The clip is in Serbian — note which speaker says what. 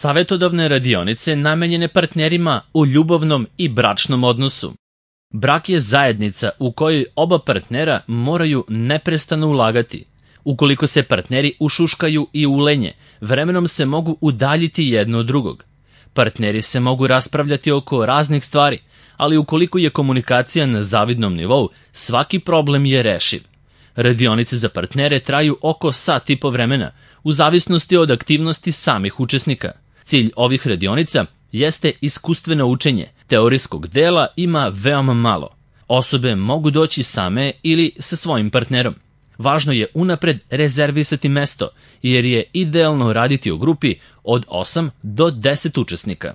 Speaker 1: Savetodavne radionice namenjene partnerima u ljubavnom i bračnom odnosu. Brak je zajednica u kojoj oba partnera moraju neprestano ulagati. Ukoliko se partneri ušuškaju i ulenje, vremenom se mogu udaljiti jedno od drugog. Partneri se mogu raspravljati oko raznih stvari, ali ukoliko je komunikacija na zavidnom nivou, svaki problem je rešiv. Radionice za partnere traju oko sat i po vremena, u zavisnosti od aktivnosti samih učesnika. Cilj ovih radionica jeste iskustveno učenje. Teorijskog dela ima veoma malo. Osobe mogu doći same ili sa svojim partnerom. Važno je unapred rezervisati mesto, jer je idealno raditi u grupi od 8 do 10 učesnika.